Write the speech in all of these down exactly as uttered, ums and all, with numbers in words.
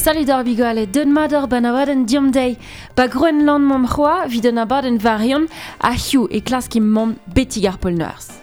Salut d'ar bigale, deun mador ban abadenn diom dei. Ba Groenland mom c'hoa, vid an abadenn varion, a hiu e klask mont betig ar pol Norzh.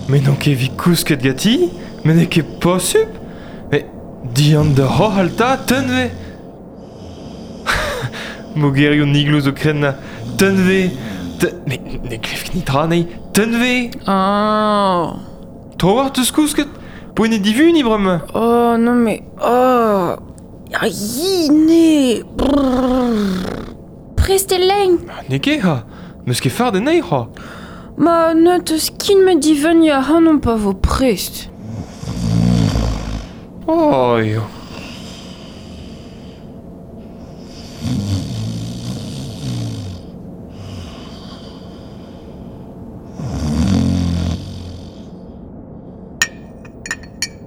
Mais non ket vi kousket gati, mais n'eo ket posub. Mais dian da c'hoalta, tenve. Mogerioù nigloù zo krenna, tenve. Te... Mais ne klev ket nitra nei, tenve. Oh. Tro war teus kousket, poent e divuni bremañ. Oh non mais oh. Aïe, ne. Prest e lein. N'eo ket ha, meus ket fard anezhi c'hoa. Ma ne teus kin me diveni a hanon pa vo prest. Oh, yo.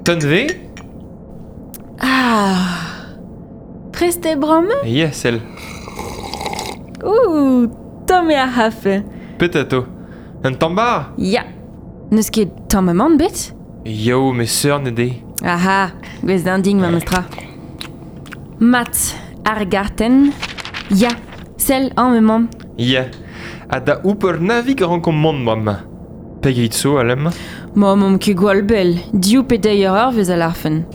Tenve? Ah. Prest e bremañ? Yes, el. Ouh, tomm eo ar c'hafe. Petato. Un tambar? Ya. N'eus ket tamm amann bet? Yo, me seur ne de. Aha, gwez d'un ding ma meustra. Mat, ar garten. Ya, sell an me mamm. Ya. Ha da ouper navig rankomp mont mamm. Pegeit zo alem? Ma mamm ket gwall bell, div pe deir eur vez a larfen.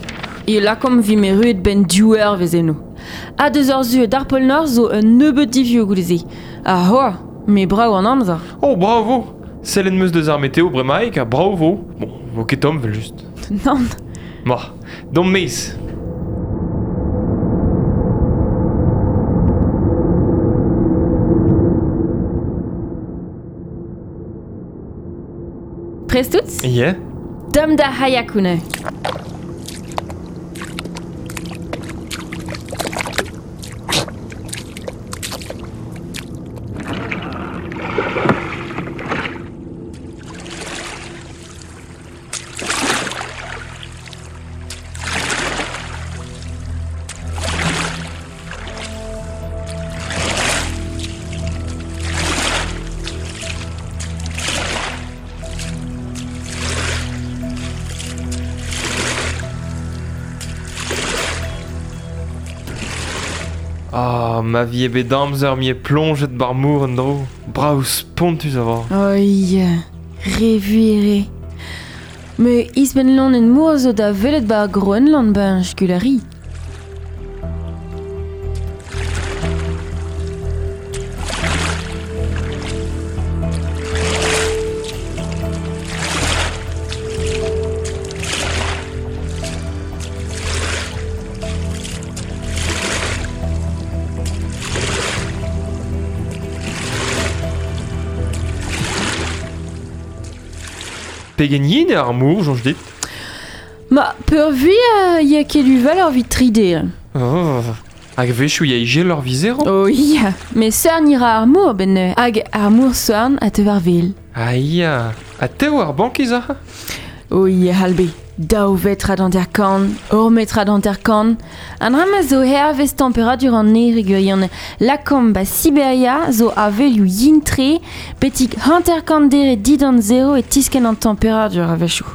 E lakomp vi me ruet ben div eur vez eno. Ha deus ur zu d'ar pol Norzh zo un nebeud divioù goude-se. Ha hoa, me brav an amzer. Oh, bravo! Sellen meus deus ar meteo bremaik ha bravo. Bon, vo ket tomm vel just. Nann. Ma, dom meiz. Prest out? Yeah. Dom da hayakune. Ah, ma vie bet amzer mi e plonjet bar mour an dro. Brav spontus a vor. Oi, re vuere. Me isben lon en mour zo da velet bar Groenland ben skulari. Pegen yin eo ar mour, soñj dit? Ma, peurvuiañ ya ket uvel ur vit tride. Oh, hag wechoù ya ijel ur vizero? Oh ya, me seurn ira ar mour ben hag ar mour seurn a teu ar vil. Ah ya, ha teo ar bankiz a? Oh ya, halbe. Daou vetra d'anter kan, ur metra d'anter kan. An rama zo hervez temperadur an ner e lakomp ba Siberia zo avelioù yin-tre, betik hanter kan dere didan zero e tisken an temperadur a wechoù.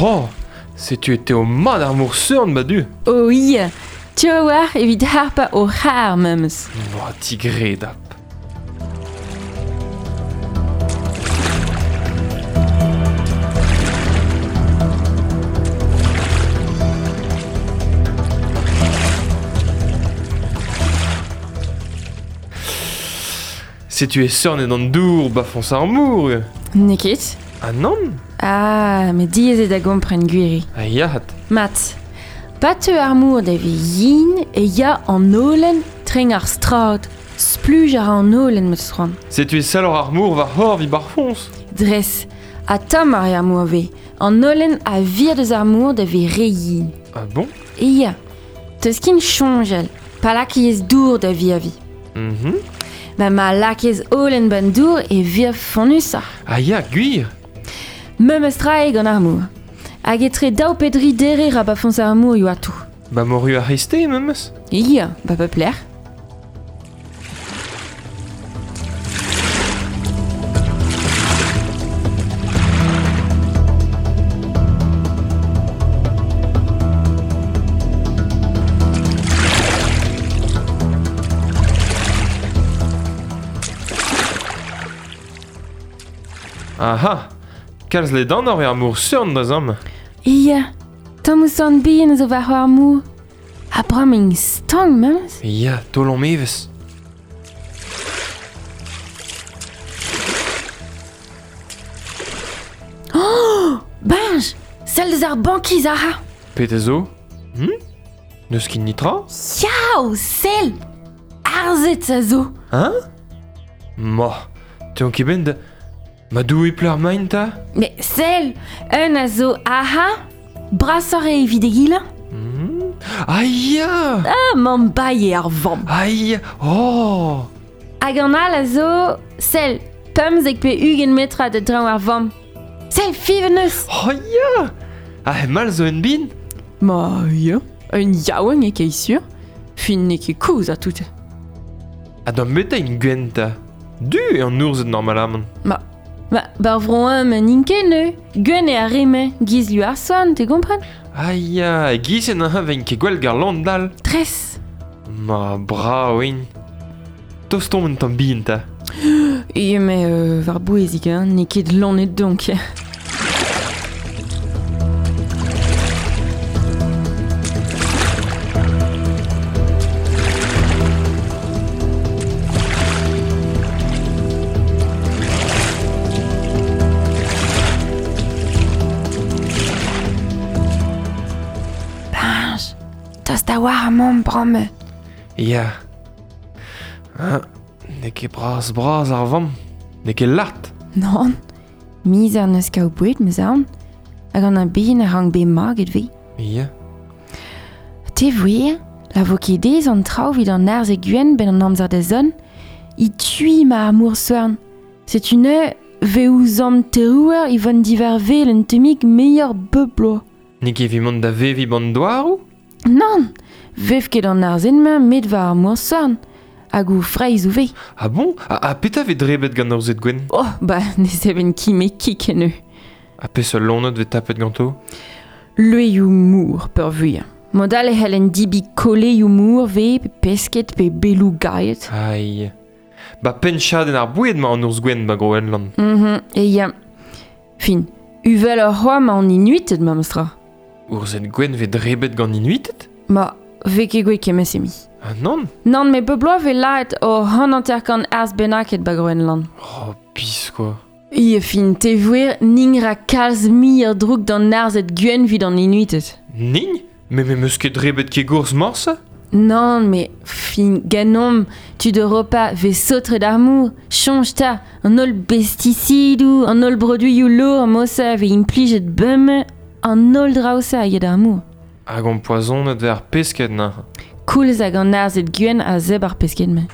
Oh, setu e teo mat ar mour seurn ba du. Oh ya, tu a war evit harpa o c'har memes. Boa, tigredap. Setu e seurnet an dour ba foñs ar mor. N'eo ket? Ah nann? Ah, met diaes eo da gompren gwiri. Ah ya. Mat, pa teu ar mor da ve yin e ya an holen treng ar strad. Spluj ar an holen meus c'hoant. Setu e salor ar mor war hor vi bar foñs. Dres, ha tamm ar ar mor ve. An holen a vir deus ar mor da ve re yin. Ah bon? E ya, teus kin soñjal, pa lakez dour da vi a vi. Mhm. Ba ma lakez holen ban dour e vir fonnusoc'h. Ah ya, gwir. Memes tra eo gant ar mor. Hag etre daou pedri dere ra ba foñs ar mor eo atou. Ba moru ar reste memes? Ya, ba pep lec'h. Aha, kalz ledan eo ar mor seurn da zamm. Ya, tamm ouzh an bihan zo war ar mor. Ha bremañ stank memes. Ya, taol an evezh. Oh, Benj, sell deus ar bankiz aha. Pet a zo? Hm? N'eus ket nitra? Yaou, sell! Arzet a zo. Hein? Ma, te on ket ben da... Ma doue pleur main ta? Mais sell, un a zo aha, brasoc'h eo evit egile. Mm. Ah ya! Ah, mamm baie ar vamm. Ah ya! Oh! Hag an all a zo, sell, pemzek pe ugent metra da draoñ ar vamm. Sell, fiven eus! Oh ya! Ah, mal zo un bin? Ma ya, un yaouank e ket sur. Fin n'eo ket kozh a tout. Ha d'am meta in gwenn ta. Du eo an ourzed normalamant. Ma, Ba, bar vro ma n'int ket neu. Gwenn eo ar re-mañ, giz lu ar soan, te gompren? Ah ya, giz en an vein ket gwell gar land dal. Tres. Ma brao int. Tostomp un tamm bihan ta. E me euh, war bouezik, hein, n'eo ket lanet donc. Benj, tost a war amañ bremañ. Ya. Ah, n'eo ket bras bras ar vamm. N'eo ket lart. Nann, mizer n'eus kaout boued, meus aon. Hag an a bihan a rank bet maget ve. Ya. Te voer, la vo ket aes an traoù evit an arzh e gwenn ben an amzer da zont, i tui ma ar mor soern. Setu neuze ve ouzh terouer i vont divervel un tammig meilleur bep bloaz. N'eo ket evit mont da veviñ ban douaroù? Nann, vev ket an arzh-mañ met war ar mor soern. Hag o freizh o ve. Ah bon? Ha, ha petra vez drebet gant arzhed gwenn? Oh, ba, ne seven ki me kik en eu. Ha peseurt loened vez tapet ganto? Leuioù mor peurvuiañ. Mod all e c'hellen dibi koleioù mor ve, pe pesked pe beloù gaet. Aïe. Ba penn-chadenn ar boued ma an ourz gwenn ba Groenland. Mhm, e ya. Fin, uvel ur c'hoa ma an Inuited memes tra. Ourzhed gwenn vez drebet gant Inuited? Ma, ve ket gwech kemmes emi. Ah nann? Nann, me bep bloaz vez lâret o hanter-kant arzh bennaket ba Groenland. Oh, pis quoi. E fin, te voer ning ra kalz muioc'h droug d'an arzhed gwenn evit an Inuited. Ning? Me me meus ket drebet ket gourz morse? Nann, me fin, ganomp, tud Europa vez saotret ar mor, soñj ta, an holl bestisidoù, an holl broduioù lourd mosa vez implijet bemdez, an holl draoù-se a ya d'ar mor. Hag an poazonet vez ar pesked neuze. Koulz hag an arzhed gwenn a zebr ar pesked-mañ.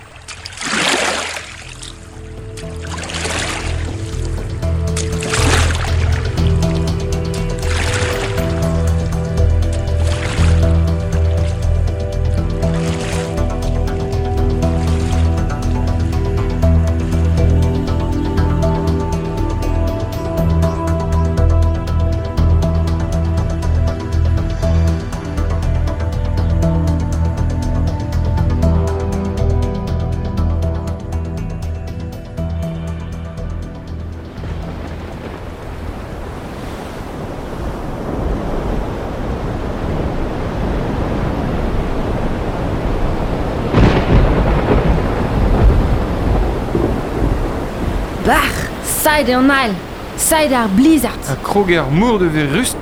Bar, said an ail, said ar blizzard. Ha krog ar mour de ver rust.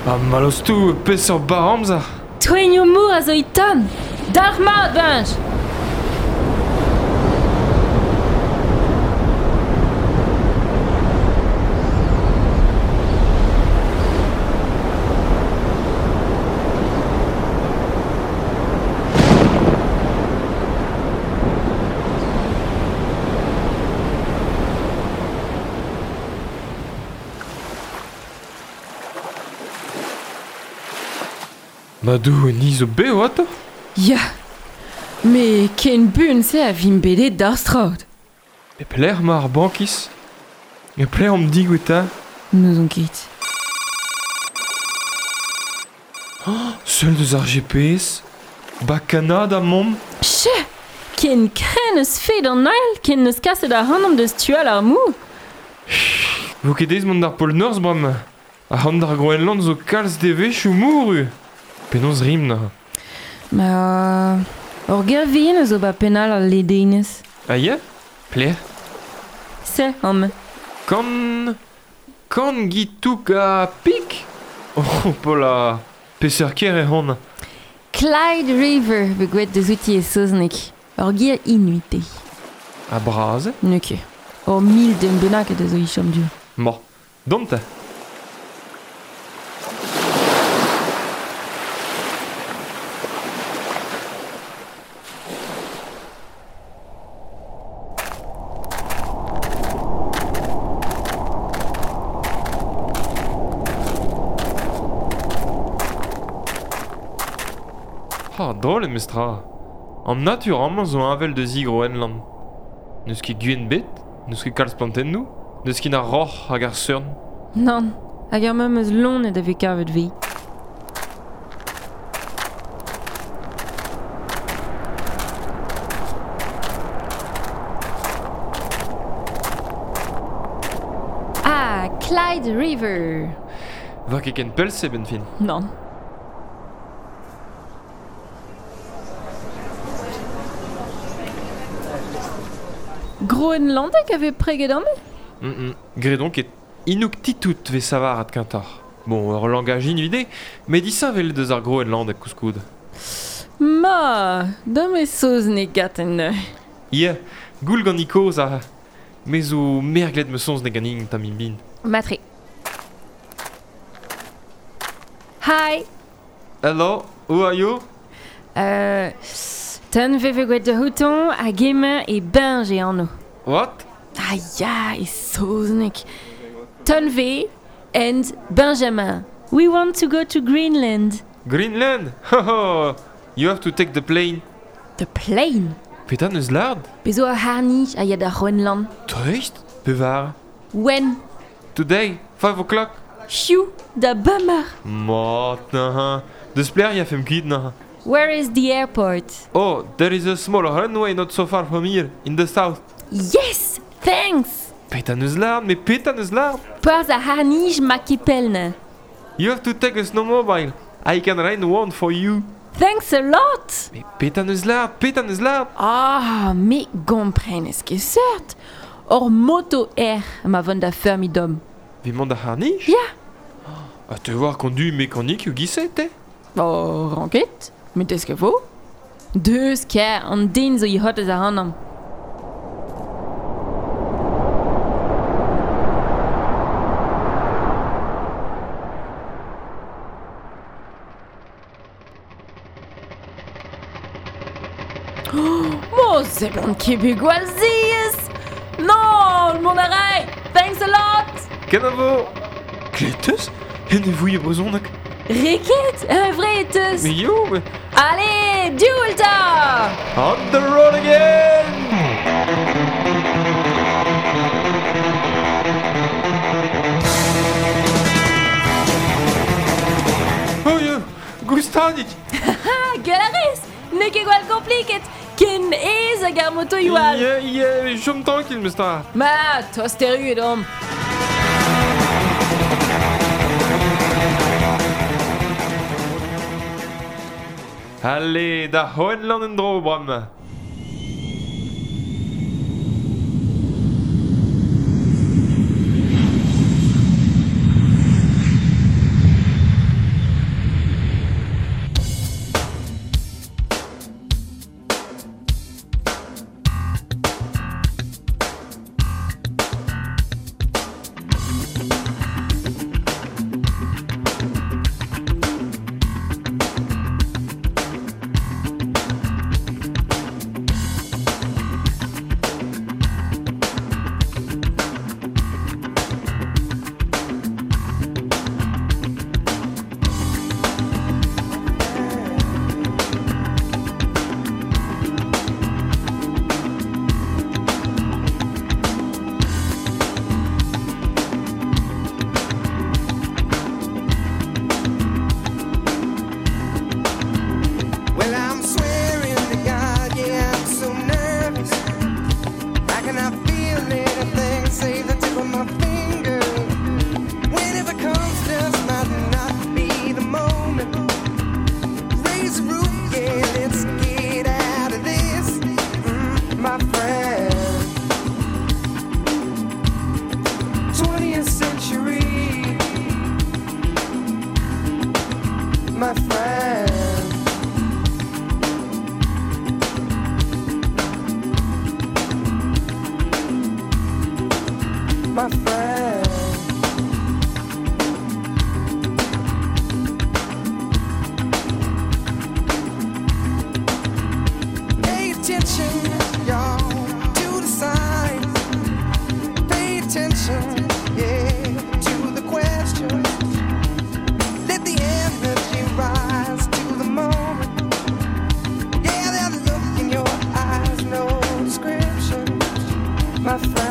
Ha malostou peseurt bar amzer. Toenioù mour a zo iton. Dalc'h mat, Benj! Madou, ni zo bev ato? Ya, me ken bun se a vim bedet d'ar straod. E pelec'h ma ar bankis? E pelec'h am digoueta? N'ouzon ket. Oh, seul deus ar G P S? Ba Kanada mom? Che! Ken kren eus fet an ail, ken neus kaset ar c'hanomp deus tual ar mou. Vo ket ez mont d'ar pol Norzh bram. Ar c'hant d'ar Groenland zo kalz devezhioù mouru. Penaos rim na. Ma... Ur gervien eus zo ba penal al ledenez. Ah ya? Plec'h? Se, am. Kan... Kan gitouk a pik? Oh, pola... Peseurt ker e hon. Clyde River be gwet deus outi e saozneg. Ur ger inuit eo. A bras? N'eo ket. Ur mil den bennak eus zo i chom du. Ma, dont ta. Ah, drôle mestra. An natur amañ zo avel deus i Groenland. N'eus ket guen bet, n'eus ket kalz plantennoù, n'eus ket ar roc'h hag ar seurn. Nann, hag ar meum eus lonet a vez kavet vi. Ah, Clyde River. Va ket ken pell se ben fin. Nann. Groenlandek a vez preget an Mm -mm. Gredon ket Inuktitut vez savarat kentar. Bon, ur langaj inuide, met disheñvel deus ar Groenlandek koulskoud. Ma, dam e saozneg gaten neuze. Ya, goul gant ikoz a... Me zo merglet me saozneg ganin tamm bin. Matre. Hi. Hello, who are you? Euh... Ton veve gwet de houton hag emañ e Benj e anv. What? Ah ya, e saozneg. Tunve and Benjamin. We want to go to Greenland. Greenland? Ho ho! You have to take the plane. The plane? Petra neus lard? Bezo ar harnij a ya da Groenland. Dreist? Pevar? When? Today, five o'clock. Hiu, da bummer. Mat, naha. Deus plec'h ya fem kuit naha. Where is the airport? Oh, there is a small runway not so far from here, in the south. Yes, thanks! Petra neus lard, me petra neus lard? Perzh ar harnij ma kepelne. You have to take a snowmobile. I can rent one for you. Thanks a lot! Me petra neus lard, petra neus lard? Ah, me gomprenez ket seurt. Ur moto air ma vont da fermi dom. Vi mont da harnij? Ya. A te voir kondu mekanik eo gise, te? Oh, ranket. Met eus ket vo? Deus ker, an den zo i hot eus ar anam. Oh, mo seblant ket bet gwall ziez! Non, mont a ray! Thanks a lot! Kenavo! Kleteus? En e vouie brezhoneg? Reket, un vrai eteus! Mais yo, mais... Allez, duelta! On the road again! Oh yo, goustadik! Ah, galarez! N'eo ket gwall kompliket! Ken ez hag ar motoioù all! Yeah, yeah, chom tranquil, mestra! Ma, tost erru edom! Allez, da Hohenland en dro, bram. Well, I'm swearing to God, yeah, I'm so nervous. I cannot feel anything save the tip of my finger. Whenever comes, just might not be the moment. Raise the roof, yeah, let's get out of this, mm, my friend. twentieth century, my friend. My friend. Pay attention, y'all, to the signs. Pay attention, yeah, to the questions. Let the energy rise to the moment. Yeah, that look in your eyes, no description, my friend.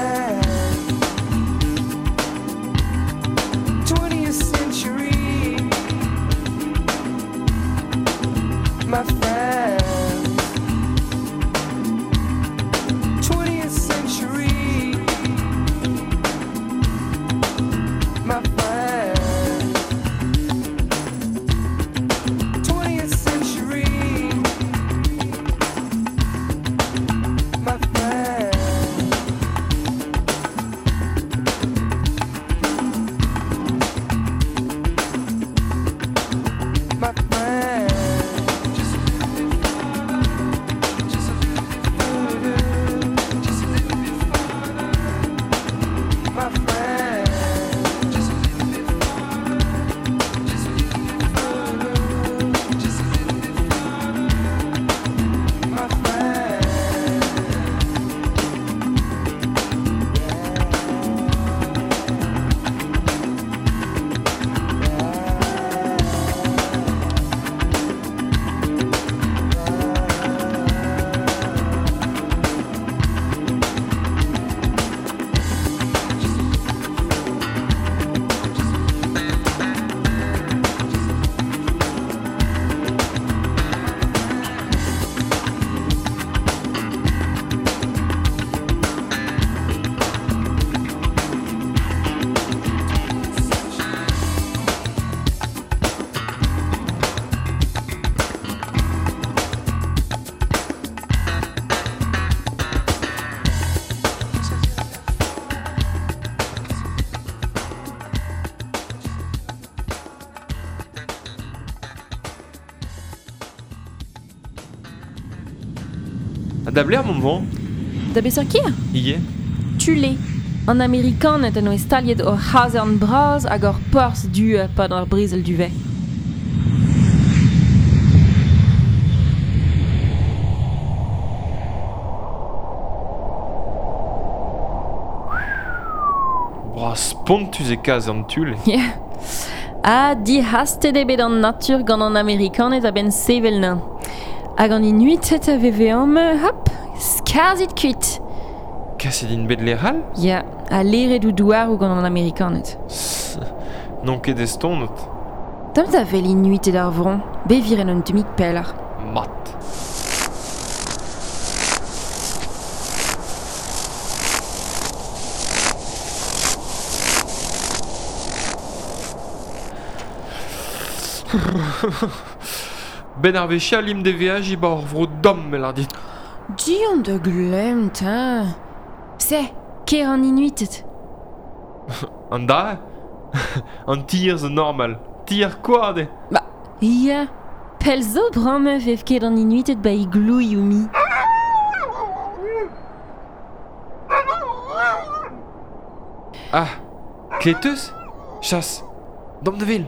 twentieth century, my friend. twentieth century, my friend. twentieth century, my friend. My friend. Just a little bit farther, just a little bit further, just a little bit farther, my friend. Just a little bit farther, just a little bit further, just a little bit farther, my friend. Ha da bler mont vont? Da beseurt kir? Ie. Tule. An Amerikanet en oe staliet ur c'hazern bras hag ur porzh du pad ar brezel du vez. Bra spontus e kazern Tule. Yeah. Ha dihastet eo bet an natur gant an Amerikanet a-benn sevel nañ. Hag an Inuited a veve am, hop, skarzhit kuit. Kaset int bet lec'hall? Ya, ha leret ou douaroù gant an Amerikanet. N'on ket estonet. Tamm da vel Inuited ar vron, beviren un tammig pelloc'h. Mat. Ben ar vechal im de veaji ba ur vro dom el ar dit. Dion de glemt, hein. Se, ker an inuitet. An da? An tier zo normal. Tier koad e. Ba, ya. Pel zo bramme vev ket an inuitet ba iglouioù mi. Ah, kleteus? Chasse. Dom de vil.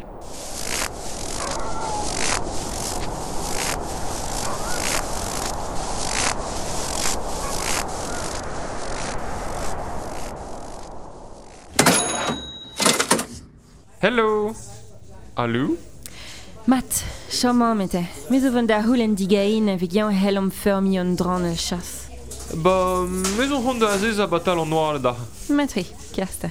Hello. Allô? Mat, chom amete. Me zo vont da houlen digain evit yañ hell am feurmi an dran el chasse. Ba, me zo c'hont da azez a batal an noar da. Matri, kersta.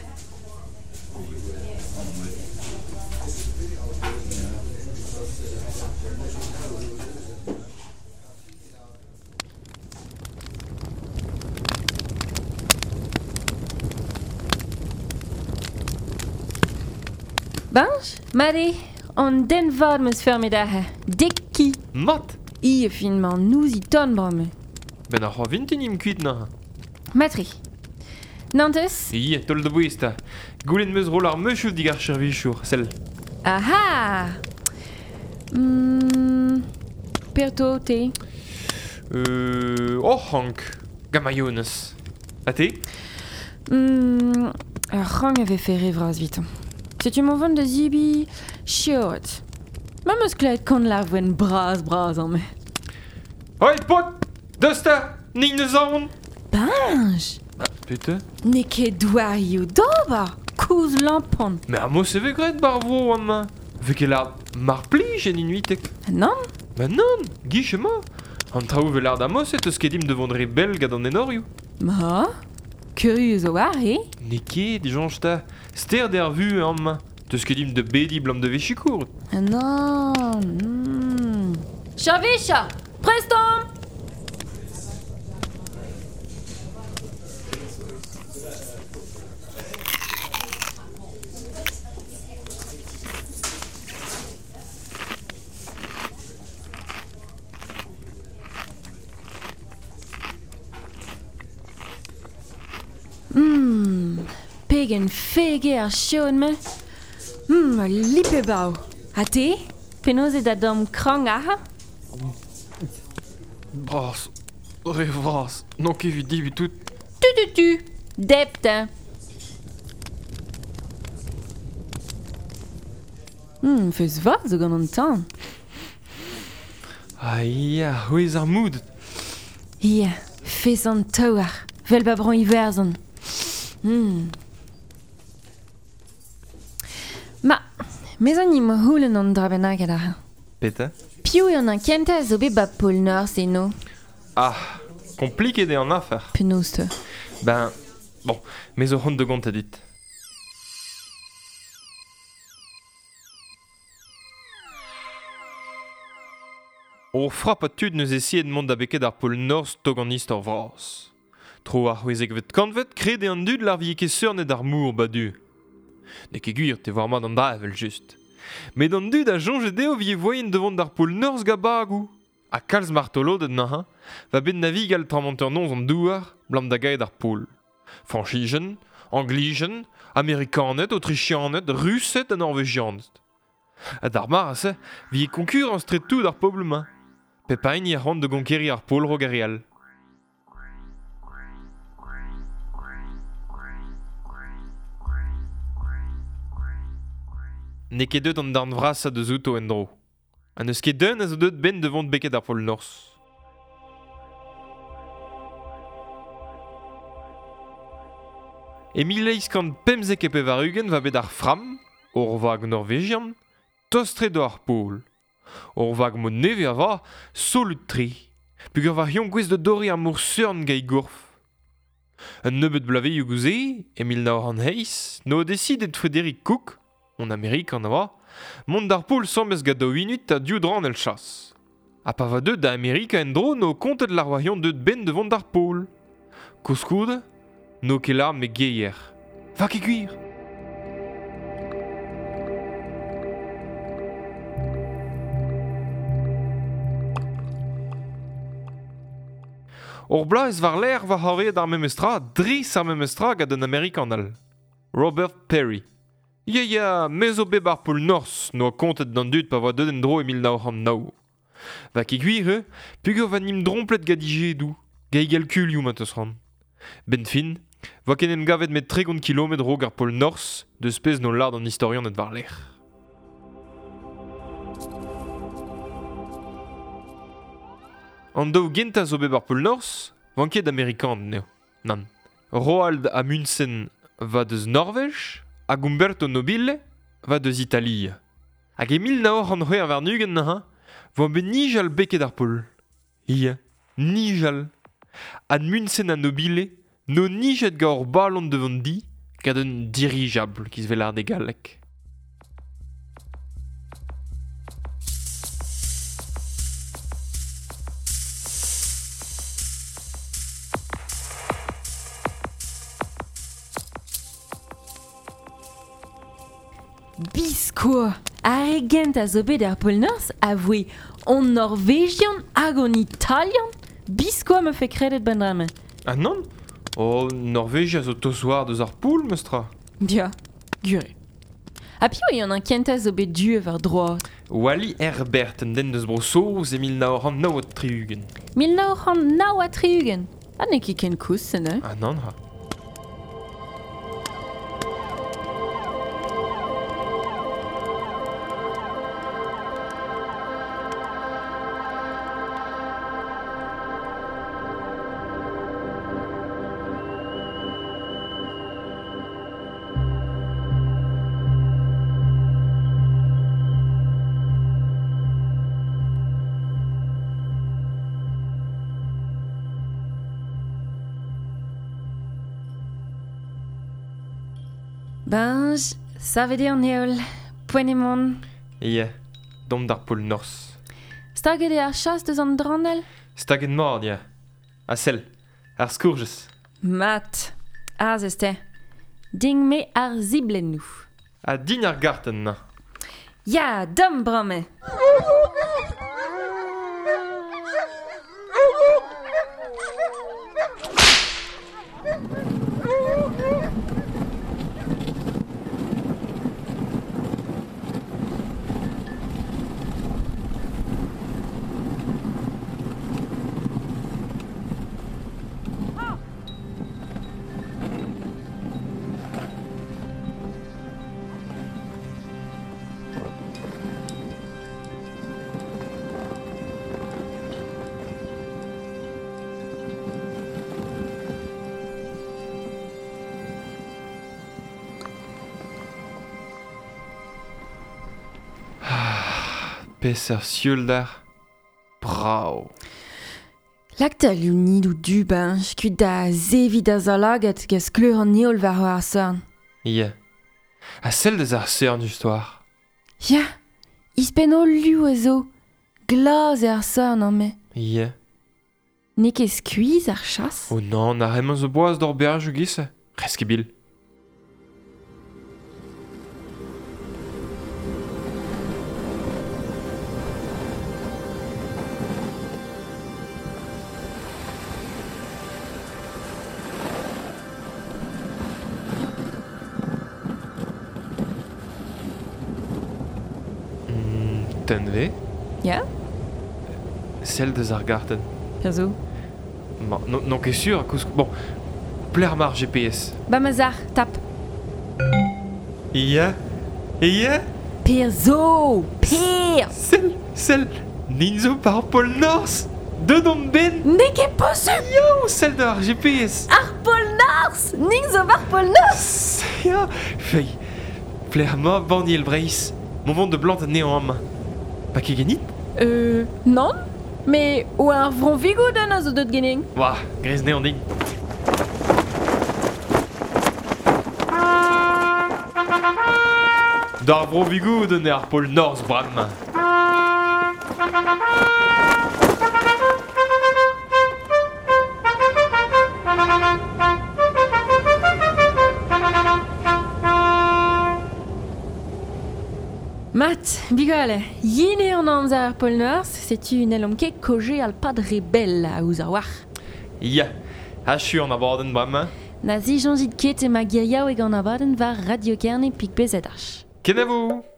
Banj, mare, an den vad meus fermet ahe. Dek ki. Mat! I e fin man nous i ton bramme. Ben ar c'hoa vintin im kuit na. Matri. Nantes? I, tol de bouez ta. Goulen meus roll ar meuchou dig ar chervichour, sell. Aha! Mm, Perto, te? Euh... Oh, hank. Gamaiones. A te? Mm, ar rang avait fait rêvraz vite. Setu m'en vont da zibi chiot. Ma meus kleet kant la voen braz braz an me. Hoi, pot! Deus ta! Nin neus aon! Banj! Ah, putain. Ne ket doarioù d'ober! Kouz lampon! Mais ar mos e ve gret bar vro an ma. Ve ket lard mar plij en inuitek. Nan? Ba nan, guich ema. An traoù ve lard amos et eus ket im devant re bel gant an enorioù. Ma? Curieux zo war, e? Ne ket, dijonj ta. Ster der vu an ma. Teus ket im de bedi blam de vechikour. Non. Mm. Chavicha! Preston! Mm, pegen fege ar chion me. Mm, a lipe bao. Ha te? Penaos e da dom krang aha? Bras. Re vras. Non ket evit divi tout. Tu tu tu. Dept. Mm, feus vat zo gant an tan. Ah ya, c'hwez ar moud. Ya, fez an taouar. Vel ba bran iwerzhon. Hmm. Ma, mez an im houlen an dra bennak ar. Peta? Piv eo an kentañ a zo bet ba pol Norzh eno. Ah, kompliket eo an afer. Penaos te? Ben, bon, me zo c'hont de gont a dit. O frap a tud neus essayet mont da beket ar pol Norzh tog an istor vras. Tro ar c'hwezekvet kantvet krede an dud lar vie ket seurnet ar mour badu. Ne ket gwir te war mat an da evel just. Met an dud a soñje dezho vie voien devant ar pol Norzh ga bagou. Ha kalz martoloded naha, va bet navigal tramanteur noz an douar, blam da gaet ar pol. Franchijen, Anglijen, Amerikaned, Autrichianed, Rused ha Norvegianed. Ha d'ar mar a se, vie konkurans tre tout ar pobl ma. Pepain y a c'hoant de gonkeri ar pol rog ar real. Ne ket deut an darn vras a deus outo en-dro. Ha n'eus ket deun a zo deut ben devant beket ar pol Norzh. E mil eizh kant pemzek e pevar-ugent va bet ar Fram, ur vag norvegian, tostre do ar pol. Ur vag mod nevez a va, solut tre. Pugur va c'hion gwez de dori ar mor seurn gai gourf. Un nebeud blaveioù gouze, e mil nav c'hant eizh, no desidet Frédéric Cook, on Amerik an a mont d'ar pol sambez gant daou inuit a div dran el chas. Ha pa va deut da Amerika en-dro no kontet lar war hion deut ben devant d'ar pol. Koulskoude, no ket lar me geier. Va ket gwir! Ur blaez war l'air va c'hoariet ar memestra, dris ar memestra gant un Amerikan all. Robert Peary. Ya ya, me zo bet ar pol Norzh noa kontet d'an dud pa voa deut en dro e mil nav c'hant nav. Va ket gwir eo, peogwir va nim dromplet gant ijedou, gant e galkulioù ma teus ran. Ben fin, voa ken em gavet met tregont kilometr raok ar pol Norzh deus pezh no lard an istorian et war l'air. An daou gentañ zo bet ar pol Norzh, van ket Amerikan neo. Nann. Roald Amundsen va deus Norvej, hag Umberto Nobile va deus Italia. Hag e mil nav c'hant c'hwec'h warn-ugent neuze, voa bet nijal beket ar pol. Ia, nijal. Amundsen ha Nobile no nijet gant ur ballon devant di gant un dirigeable ki se vel ar de gallek. Biskoa, ar re gent a zo bet ar pol Norzh a voe on Norvegian hag on Italian. Biskoa me fe kredet ben drame. Ah non? Oh, Norvegia zo tosoar deus ar poul, meustra. Ya, gure. Ha piv eo an an kentañ zo bet du war droad? Wally Herbert, un den deus Bro-Saoz e mil nav c'hant nav ha tri-ugent. Mil nav c'hant nav ha tri-ugent. Ha n'eo ket ken koulz, se ne? Ah non, ha. Benj, savet eo an heol, poent emaon. Ya, domp d'ar pol Norzh. Staget eo ar chas deus an dranell? Staget mat, ya. Ha sell, ar skourjez. Mat, aze te. Ding me ar ziblennoù. Ha din ar gartenn na. Ya, dom brame. Peseurt sioulder. Brav. Lak da lunid ou du benj, kuit da zevi da zalaget gant skleur an heol war ar seurn. Ya. Ha sell deus ar seurn justoar. Ya, ispenn o liv a zo. Glas eo ar seurn an me. Ya. N'eo ket skuizh ar chas? Oh non, ar emañ zo boaz d'or berjoù giz. Rez ket bil. Tenve? Ya? Sell deus ar gartenn. Perzo? Ma, non, non ket sur, koulz... Bon, pler mar G P S. Ba ma zar, tap. Ya? Ya? Perzo! Per! Sell, sell, nin zo par pol Norzh! Deut on ben! N'eo ket posupl! Yo, sell da ar G P S! Ar pol Norzh! Nin zo war pol Norzh! Ya, fei, pler ma banniel Breizh. Mon vent de blant anezhañ amañ. Pa ket ganit? Euh, non, mais o ar vron vigouden a zo deut genin. Oa, grez anezhañ din. D'ar vro vigouden eo ar pol Norzh bremañ. Mat, bigale, yin eo an amzer ar pol Norzh, setu n'hellomp ket koje al pad re bell a ouz ar war. Ya, achu an abadenn bremañ. Na zisoñjit ket ema giriaoueg an abadenn war Radio Kerne pik B Z H. Kenavo!